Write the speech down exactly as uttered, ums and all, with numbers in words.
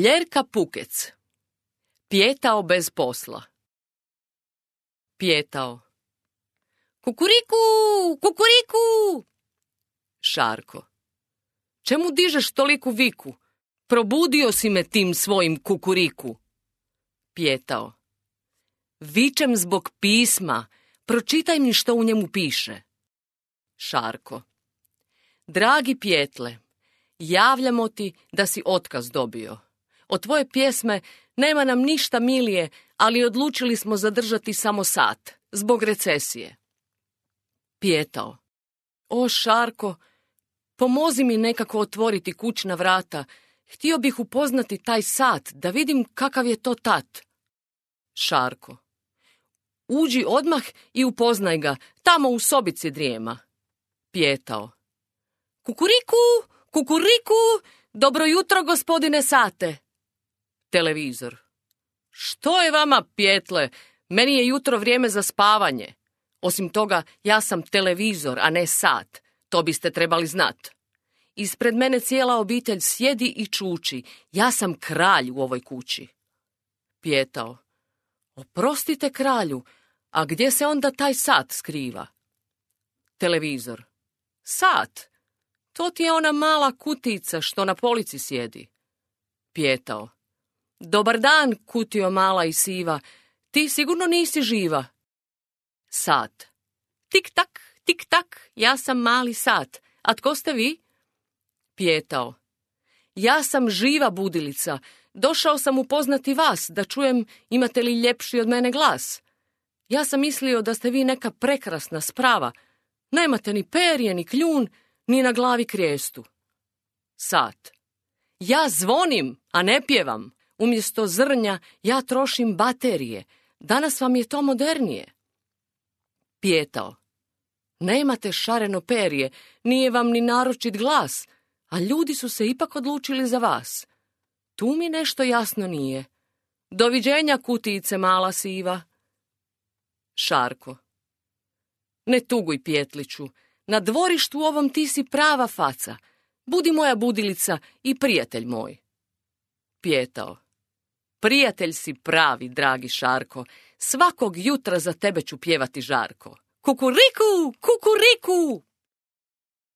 Ljerka Pukec. Pijetao bez posla. Pijetao. Kukuriku, kukuriku! Šarko. Čemu dižeš toliku viku? Probudio si me tim svojim kukuriku. Pijetao. Vičem zbog pisma. Pročitaj mi što u njemu piše. Šarko. Dragi Pijetle, javljamo ti da si otkaz dobio. Od tvoje pjesme nema nam ništa milije, ali odlučili smo zadržati samo sat, zbog recesije. Pijetao. O, Šarko, pomozi mi nekako otvoriti kućna vrata. Htio bih upoznati taj sat, da vidim kakav je to tat. Šarko. Uđi odmah i upoznaj ga, tamo u sobici drijema. Pijetao. Kukuriku, kukuriku, dobro jutro, gospodine sate. Televizor. Što je vama, Pijetle? Meni je jutro vrijeme za spavanje. Osim toga, ja sam televizor, a ne sat. To biste trebali znat. Ispred mene cijela obitelj sjedi i čuči. Ja sam kralj u ovoj kući. Pijetao. Oprostite, kralju, a gdje se onda taj sat skriva? Televizor. Sat? To ti je ona mala kutica što na polici sjedi. Pijetao. Dobar dan, kutio mala i siva. Ti sigurno nisi živa. Sat. Tik tak, tik tak, ja sam mali sat. A tko ste vi? Pijetao. Ja sam živa budilica. Došao sam upoznati vas, da čujem imate li ljepši od mene glas. Ja sam mislio da ste vi neka prekrasna sprava. Nemate ni perje, ni kljun, ni na glavi krijestu. Sat. Ja zvonim, a ne pjevam. Umjesto zrnja ja trošim baterije. Danas vam je to modernije. Pijetao. Nemate šareno perje, nije vam ni naročit glas, a ljudi su se ipak odlučili za vas. Tu mi nešto jasno nije. Doviđenja, kutijice mala siva. Šarko. Ne tuguj, Pijetliću, na dvorištu ovom ti si prava faca. Budi moja budilica i prijatelj moj. Pijetao. Prijatelj si pravi, dragi Šarko. Svakog jutra za tebe ću pjevati žarko. Kukuriku, kukuriku!